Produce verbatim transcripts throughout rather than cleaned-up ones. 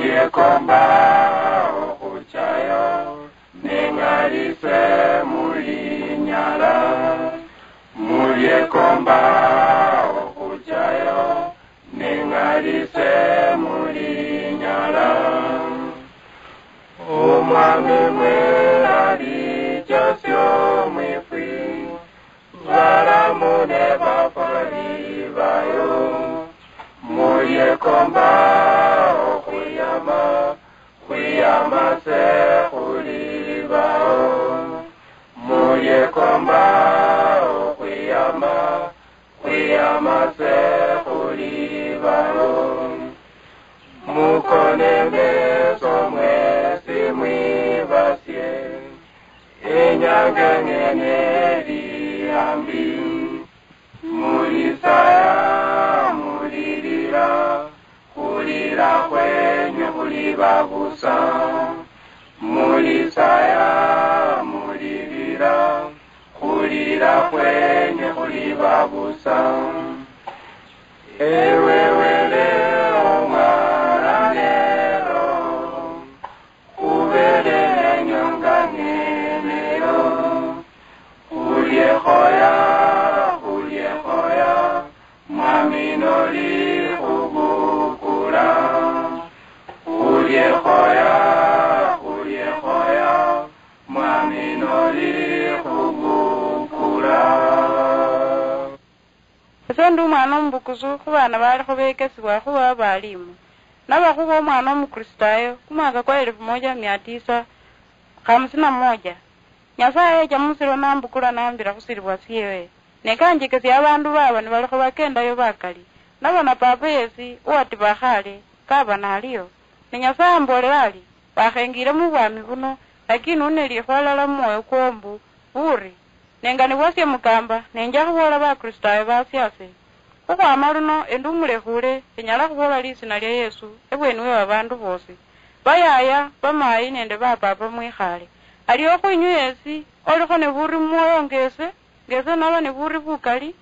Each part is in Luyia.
Yekomba okhuchayo, neng'alise mulinyala. Muliekomba okhuchayo, neng'alise mulinyala. Omwami mwe alichasio mwifwi, balamu ne bafwali bayo. Muliekomba okhwiyama, khwiyama se khulibao. Muliekomba okhwiyama, khwiyama se khulibao. Mukone meso mwesi mwibasie, enyanga ng'ene eli ambi. Mulisaya, mulilila, khulila khwenyu khuliba busa. Mulisaya, mulilila, khulila khwenyu khuliba busa. Ewe Wele omwana nero, khubele enyonga ng'eneyo. Khuliekhoya, khuliekhoya, Mwami noli khubukula. Khuliekhoya, khuliekhoya, Mwami noli khubukula. Ese ndi omwana omubukusu khu baana balikho bekesibwa khuba abalimu. Naba khuba omwana Omukristayo kumwaka kwa elfu moja mia tisa khamsini na moja. Nyasaye yecha musiro nambukula nambira khusiribwa siewe. Ne kanjekesia abandu baba nibalikho bakendayo bakali. Nabona papa yesi uwatiba khale, kaba naliyo. Ne Nyasaye ambolela ari, wakhengire mubwami buno, lakini une likhwa alala mumwoyo kwo mbu, buri, nenga nibwasie mukamba, nenja khuboola Bakristayo basiase. Khukhwama luno endi umulekhule, enyala khuboola lisina lia Yesu ebweni we babandu bosi. Bayaya, bamayi nende bapapa mwikhale. Alio khwinywe yesi, olikho ne buri mumwoyo ngese, ngese naba ne buri bukali,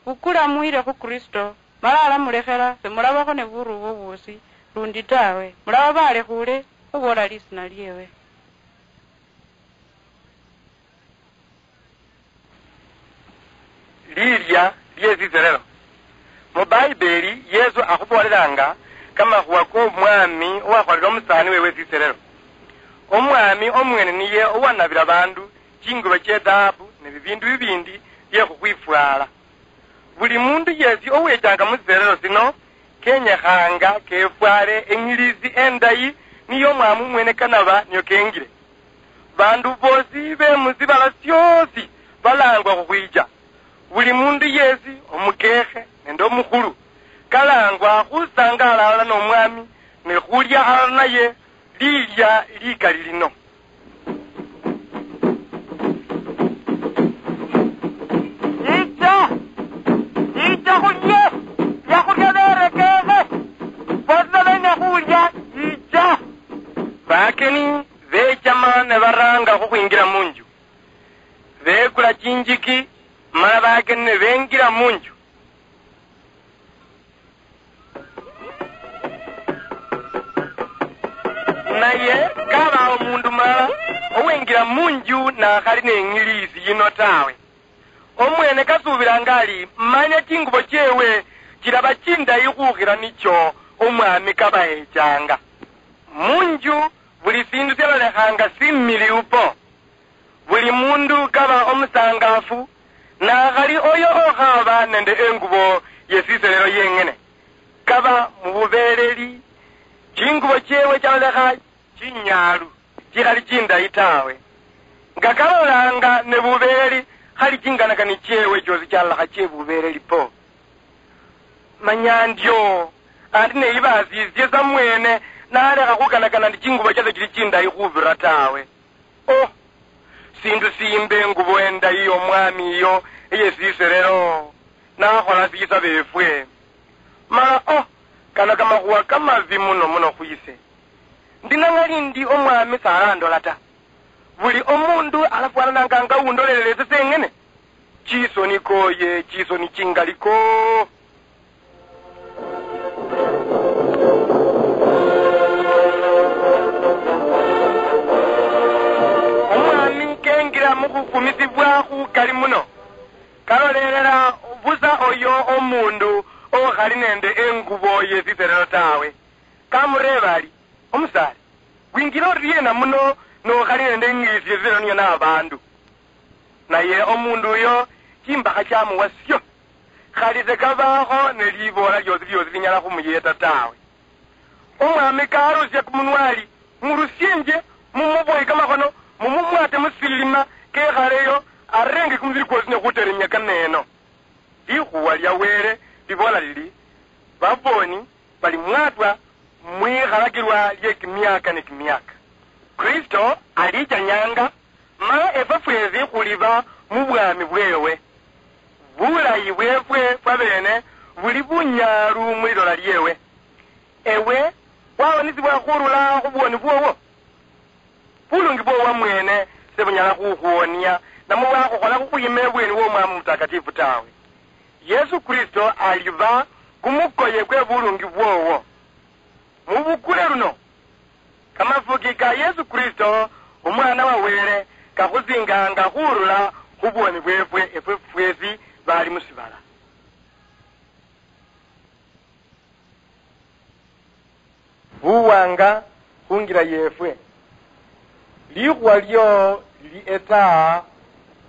bukula mwire khu Kristo, mala alamulekhela, semulabakho ne buri obwo bwosi lundi tawe. Mulaba balekhule khuboola lisina liewe. Lilia lie siserero. Mu Baibeli, Yesu akhuboolelanga kamakhuwa k'omwami owakholera omusaani wewe siserero. Omwami omwene niye owanabira bandu chingubo chie dhahabu ne bibindu bibindi bie khukhwifwala. Buli mundu yesi owechanga mu siserero sino, kenyekhanga kefwale eng'ilisi endayi niyo omwami omwene kanaba niyo kengile. Bandu bosi be mu sibala siosi balangwa khukhwicha. Buli mundu yesi, omukekhe nende omukhulu, kalangwa khusangaala halala nomwami ne khulya halala naye lilia likali lino. Yicha, yicha khulye byakhulya berekekhe, bosi nabenya khulya, yicha. Bakeni bechama ne baranga khukhwingira munju. Bekula chinjiki, mala bakeni ne bengira munju. Naye kabawo omundu mulala owengira munju nakhali neng'ilisi yino tawe. Omwene kasuubilanga ali manya chingubo chewe chilaba chindayi khukhira nicho omwami kabahechanga. Munju buli sindu syalolekhanga similiu po. Buli mundu kaba omusangafu, nakhali oyo okhaba nende engubo yesiselelo yeng'ene, kaba mububeeleli, chingubo chewe chalolekha chinyaalu, chikhali chindayi tawe. Nga kalolanga ne bubeeleli, khali chinganakani chewe chiosi chalolekha chebubeeleli po. Manya ndio, andi neyibasisye samwene, nalekha khukanakana ndi chingubo chase chili chindayi khubira tawe. Oh, sindu simbe engubo endayi yomwami iyo eyesiserero, nakhola sisa befwe. Mala oh, kano kamakhuwa kamabi muno muno khwise. Ndi nangali ndi omwami sarandola ta. Buli omundu alafwanananga nga undolelele ese seng'ene. Chisoni koye, chisoni chingali ko. Mukhufumisibwa khukali muno, kalolelela busa oyo omundu okhali nende engubo yesiserero tawe. Kamureeba ari, "Omusaale, wingila oriena muno nokhali nende eng'isi yesiserero niyo nabandu?" Naye omundu uyo chimbakha chamuwa sio, khali sekabakho neliboola liosi liosi linyala khumuyeta tawe. Omwami karusia kumunwa ari, "Murusienje, mumuboye kamakhono, mumumwate musilima kekhaleyo, arenge kumubili kwosi nekhuteremia kameno." Likhuwa lia Wele libola lili, "Baboni balimwatwa mwikhalakilwa lie kimiaka ne kimiaka." Kristo alichanyanga, ma efwe fwesi khuliba mu bwami bwewe. Bulayi bwefwe fwabene buli bunyaalu mu lilola liewe. Ewe wawonisibwa khurula khu bwoni bwowo? Bulungi bwowo mwene sebunyala khukhuwonia, namwe bwakhukhola khukhwima ebweni w'Omwami Omutakatifu tawe. Yesu Kristo aliba kumukoye kwe bulungi bwowo. Mubukule luno, kamafuki ka Yesu Kristo, Omwana wa Wele, kakhusinganga khurula khu bwoni bwefwe efwe fwesi bali musibala. Buwanga khungira yefwe. Likhuwa lio lili etaa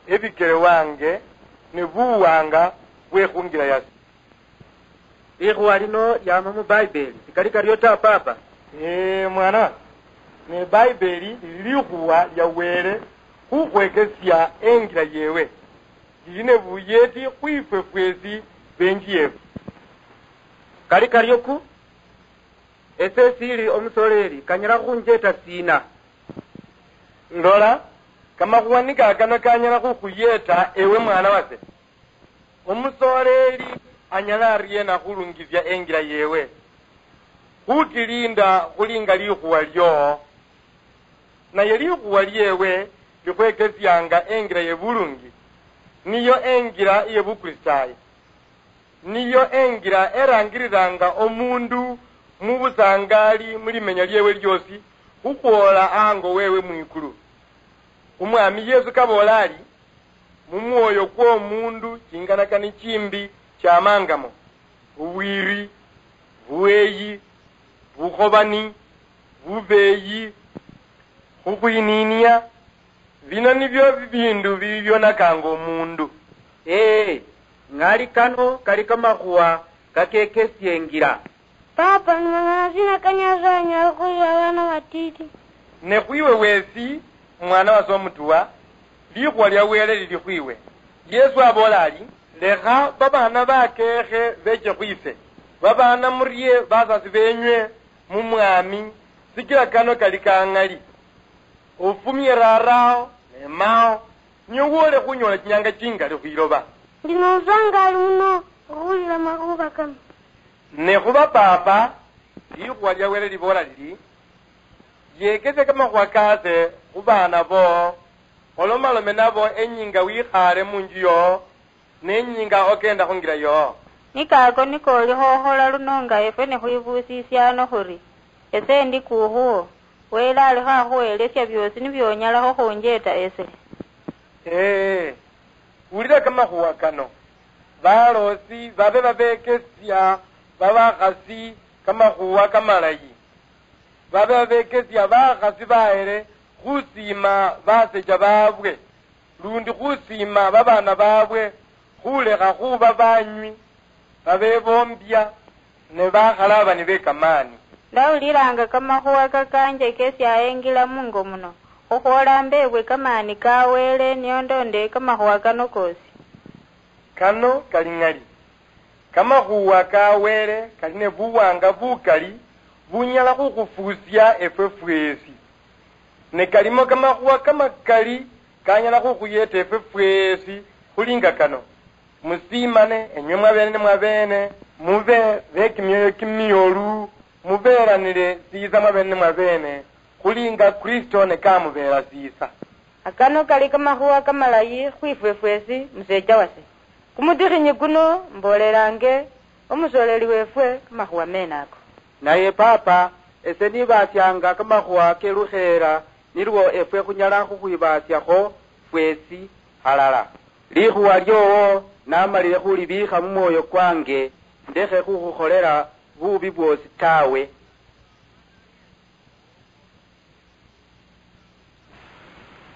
ebikele wange, ne buwanga bwe khungira yase. Likhuwa lino liama mu Baibeli, sikali kario ta, Papa? Ee, mwana wange, ne Baibeli lili likhuwa lia Wele khukhwekesia engira yewe. Lili ne buyeti khwifwe fwesi benji yefu. Kali kario ku, ese esili omusoleli, kanyala khunjeta sina? Lola, kamakhuwa nikakano kanyala khukhuyeta ewe mwana wase. Omusoleli anyala ariena khulungisia engira yewe? Khutilinda khulinga likhuwa lio. Naye likhuwa liewe likhwekesianga engira ye bulungi, niyo engira ye Bukristayo. Niyo engira erangiriranga omundu mu busangali mu limenya liewe liosi, khukhwola ango wewe mwikulu. Omwami Yesu kaboola ari, "Mu mwoyo kw'omundu chinganakani chimbi chamangamo, obwiri, buweyi, bukhobani, bubeyi, khukhwininia, bino nibyo bibindu bibionakanga omundu." Ee, ng'ali kano kali kamakhuwa kakekesia engira. Papa, ni mang'ana sina ka Nyasaye anyala khuyila abana batiti? Ne khwiwe wesi, mwana wase omutuwa, likhuwa lia Wele lili khwiwe. Yesu aboola ari, "Lekha babana bakekhe beche khwise, babana murie basasi benywe mu Mwami, sikila kano kali kang'ali. Ofumie rarao ne mao, niye wole khunyola chinyanga chingali khwiloba." Ndi nosangali muno okhulila makhuba kano. Ne khuba papa, likhuwa lia Wele liboola lili, "Yekesia kamakhuwa kase khu baana boo, olomalome nabo enyinga wikhaale munju yoo, nenyinga okenda khungira yoo." Ni kako niko olikho okhola luno nga efwe nikhwibuusisia ano khuri, "Ese ndi kuukhuwo, Wele alikho akhuhelesia biosi nibionyalakho khunjeta ese." Ee, wulira kamakhuwa kano. Baloosi babe babekesia babakhasi kamakhuwa kamalayi. Babe babekesia bakhasi bahere khusiima basecha babwe, lundi khusiima babaana babwe, khulekha khuba banywi, babeboombia, ne bakhalaabani be kamaani. Ndawulilanga kamakhuwa kakanjekesia engila mungo muno, khukhwola mbebwe kamaani ka Wele nio ndonde kamakhuwa kano koosi. Kano kali ng'ali. Kamakhuwa ka Wele kali ne buwanga bukali bunyala khukhufuusia efwe fweesi. Ne kalimo kamakhuwa kamakali kanyala khukhuyeeta efwe fweesi khuli nga kano. Musiimane enywe mwabeene ni mwabeene, mube be kimioyo kimiolu, mubeeranile siisa mwabeene ni mwabeene, khuli nga Kristo ne kamubeela siisa. Akano kali kamakhuwa kamalayi khwifwe fweesi, museecha wase. Kumutikhinyi kuno mboolelaange omusoleli weefwe kamakhuwa meene ako. Naye Paapa, ese nibaasianga kamakhuwa ke lukheera, nilwo efwe khunyala khukhwibaasiakho, fwesi halala. Likhuwa lyowo namalile khulibiikha mu mwoyo kwange, ndekhe khukhukholela bubi bwosi tawe.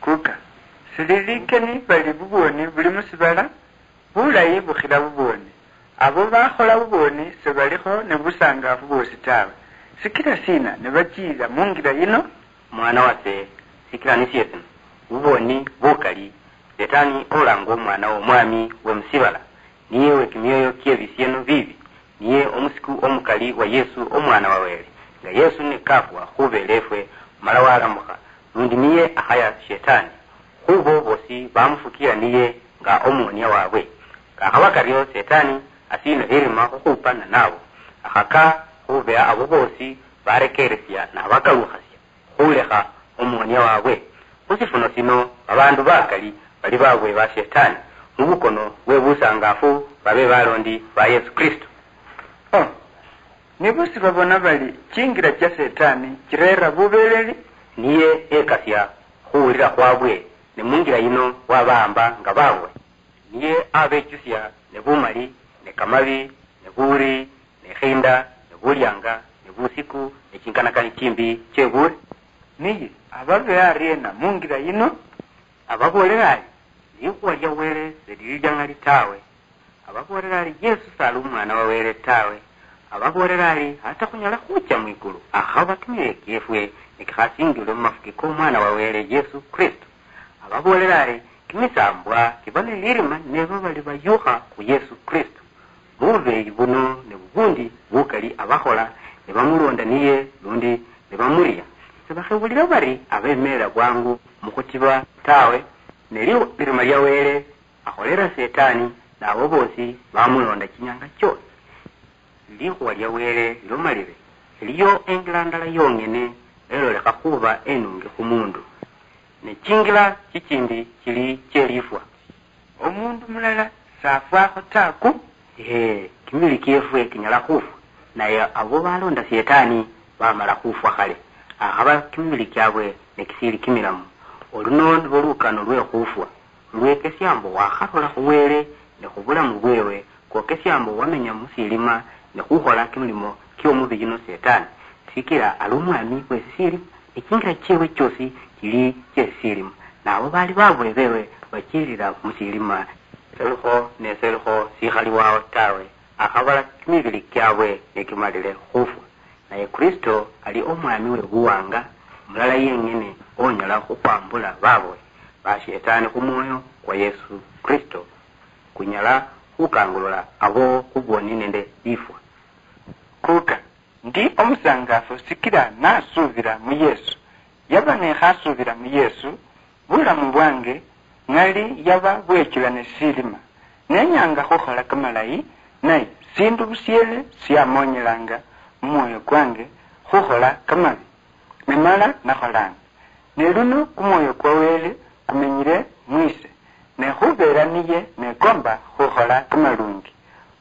Kuka, sili likeni bali bubwoni buli mu sibala, bulayi bukhila bubwoni. Abo bakhola bubwoni sibalikho ne busangaafu bwosi tawe. Sikila sina nibachiilila mu ngila yino? Mwana wase, sikila nisye sino, bubwoni bukali, Setani olangwa omwana w'omwami we mu sibala, niye we kimioyo kye bisieno biibi, niye omusiku omukali wa Yesu omwana wa Wele. Nga Yesu ne kafwa khubeela efwe, mala walamukha, lundi niye akhaya Shetani. Khubo bosi bamufukila niye nga omuwonia wabwe. Kakhaba kario, Setani asiino lirima khukhupa nanabo. Akhaka khubeha abo bosi barekeresia nabakalukhasia khulekha omuwonia wabwe. Khu sifuno sino, babaandu bakali bali babwe ba Shetani, mu bukono bwe busangaafu babe balondi ba Yesu Kristo. Oh, nibo sibabona bali chingira chia Setani chireera bubeleli? Niye yekasia khuwulira khwabwe, ne mungira yino wabahamba nga babwe. Niye abechusia ne bumali, ne kamabi, ne buuri, ne khinda, ne bulianga, ne busiku, ne chinganakani chimbi chie buuri. Niye ababeha ariena mungira yino? Ababoolera ari, likhuwa lia Wele selili liang'ali tawe. Ababoolera ari, Yesu sali omwana wa Wele tawe. Ababoolera ari, hata khunyala khucha mwikulu akhaba kimioyo kiefwe nikikhasingilwe mumafuki komwana wa Wele Yesu Kristo. Ababoolera ari, kimisambwa kiba nilirima neba bali bayukha khu Yesu Kristo. Bubeyi buno ne bubundi bukali abakhola nibamulonda niye lundi nibamuria, sibakhebulira bari abemelela bwangu mukhutiba tawe, ne li-, lirima lia Wele akholera Setani nabo bosi bamulonda chinyanga chiosi. Likhuwa lia Wele lilomalire, eliyo engila ndala yong'ene elolekha khuba enungi khu mundu, ne chingila chichindi chili chielifwa. Omundu mulala safwakho ta ku? Ee, kimibili kiefwe kinyala khufwa, naye abo balonda Setani bamala khufwa khale, akhaba kimibili kiabwe nikisili kimilamu. Oluno nilwo lukano lwe khufwa, lwekesia mbu wakharula khu Wele ne khubulamu bwewe, kwokesia mbu wamenya musilima ne khukhola kimilimo kiomubili no Setani, sikila ali omwami we sisilima, ne chingira chiewe chiosi chili chie sisilima, nabo bali babwe bewe bachilila musilima. Selikho ne selikho sikhali wao tawe, akhabala kimibili kiabwe nikimalile khufwa. Naye Kristo ali omwami we buwanga, mulala yeng'ene onyala khukhwambula babwe ba Shetani khu mwoyo kwa Yesu Kristo. Kunyala khukangulula abo khubwoni nende lifwa. Kuka, ndi omusangafu sikila nasuubila mu Yesu. Yaba nekhasuubila mu Yesu, bulamu bwange ng'ali yaba bwechula ne silima. Nenyanga khukhola kamalayi, naye sindu busiele siamonyelanga mu mwoyo kwange khukhola kamabi. Ne mala nakholanga. Ne luno kumwoyo kwa Wele kumenyile mwise, ne khubeera niye nekomba khukhola kamalungi.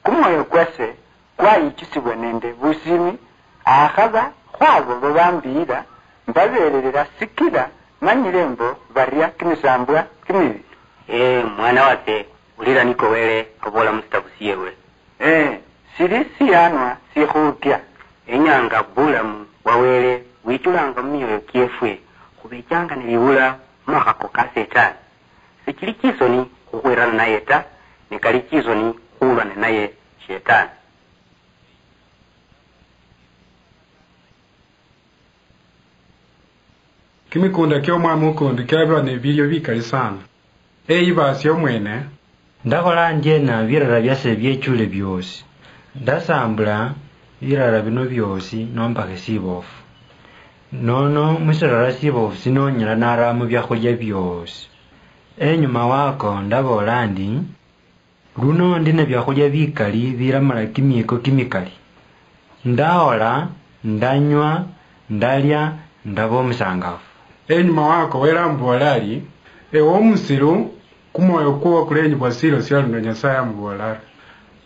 Kumwoyo kwase kwayichusibwa nende busiimi, akhaba khwabo babambiyila, mbabeererera sikila manyile mbo baria kimisambwa kimibi. Ee, mwana wase, wulira niko Wele aboola mu sitabu siewe. Ee, sili siyanwa sikhuutya. Enyanga bulamu bwa Wele bwichulanga mu mioyo kiefwe, khubechanga niliwula mu makhako ka Setani. Sichili chisoni khukhwirana naye ta, ne kali chisoni khulwa ninaye Shetani. Kimikunda kiomwami ukundi kiaba nebilyo bikali sana. Eyibaasia omwene. Ndakhola ndyeena birara byase byechule byoosi? Ndasaambula birara bino byoosi nombakhe siboofu. Nono mu sirara siboofu sino nyala naraamo byakhulya byoosi. Enyuma wako ndaboola ndi, luno ndi nebyakhulya bikali biramala kimiiko kimikali. Ndahola, ndanywa, ndalya, ndaba omusangafu. Enyuma wako Wele amuboola ari, ewe omusilu, kumwoyo kwowo kulenyibwa siilo sia luno. Nyasaye amuboola ari,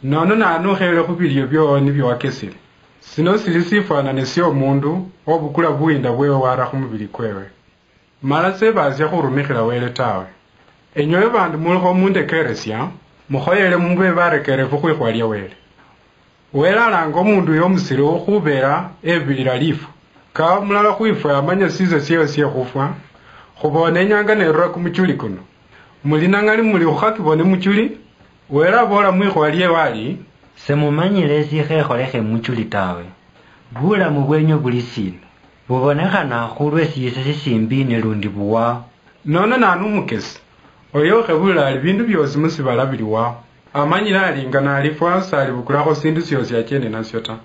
nono nanukhele khubilyo byowo nibyo wakesile. Sino sili sifwanane siomundu obukula buwinda bwewe wara khumubili kwewe. Mala sebaasia khurumikhila Wele tawe. Enywe bandu mulikho mundekeresia, mukhoyele mube barekerefu khwikhuwa lia Wele. Wele alanga omundu uyo omusiru khubera ebilila lifwa. Kawa mulala khwifwe amanya sisa sieo sie khufwa, khubona inyanga nerura kumuchuli kuno. Muli nang'ali muli khukhakibone muchuli? Wele abola mwikhuwa liewe ali, "Semumanyile esikhekholekhe muchuli tawe. Bulamu bwenywe buli sina? Bubonekhana khulwe sisa sisimbi ne lundi buwao." Nono nanu umukesi? Oyo ukhebulila ali bindu biosi musibala biliwao. Amanyile ali nga nalifwa salibukulakho sindu siosi achende nasio ta.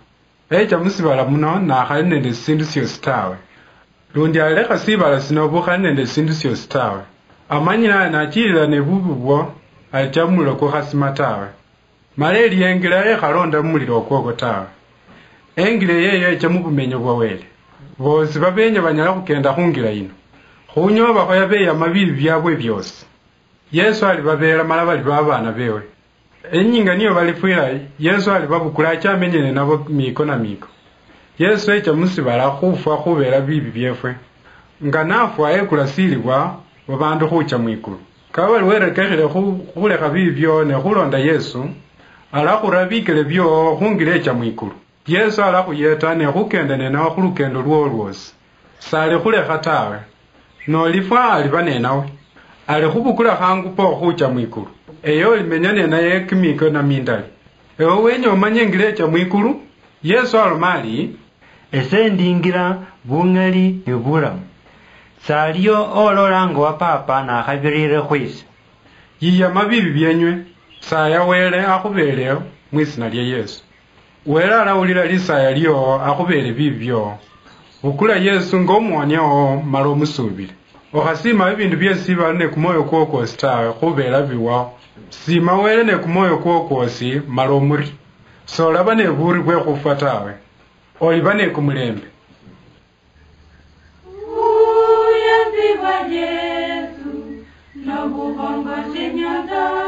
Echa musibala muno nakhali nende sindu siosi tawe. Lundi alilekha sibala sino bukhali nende sindu siosi tawe. Amanyile ali nachilila ne bubi bwo, alicha mumulilo kukhasima tawe. Mala eliyo engila ekhalonda mumulilo okwokwo tawe. Engila eyo echa mubumenyo bwa Wele. Bosi babenya banyala khukenda khungila yino. Khunyoobakho yabeyama bibi biabwe biosi. Yesu alibabeela mala baliba abaana bewe. Enyinga niyo balifwila, Yesu alibabukula ache amenye ninabo miiko na miiko. Yesu echa musibala khufwa khubela bibi biefwe. Nga nafwa ekula silibwa babandu khucha mwikulu. Kaba bali werekekhile khu khulekha bibi bio ne khulonda Yesu, alakhura bikele bio khungila echa mwikulu. Yesu alakhuyeta ne khukenda nenawe khulukendo lwowo lwosi. Salikhulekha tawe. Nolifwa aliba nenawe. Alikhubukula khangu po khucha mwikulu. Eyo olimenya nenaye kimiiko namindali. Ewe wenya omanye engila echa mwikulu? Yesu aloma ali, "Ese ndi ingila, bung'ali ni bulamu. Saliyo olola nga wa Papa nakhabirire khwise." Yiyama bibi bienywe, saya Wele akhubeele mwitsina lia Yesu. Wele alawulila lisaya liowo akhubeele bibi biowo. Bukula Yesu nga omuwania wowo mala omusuubile. Okhasiima bibindu biosi bali ne kumwoyo kwowo kwosi tawe khubeela biwao. Siima Wele ne kumwoyo kwowo kwosi mala omurie. Solaba ne buuri bwe khufwa tawe. Oliba ne kumulembe. Uyanzibwa Yesu, nobukhongo shinyoza.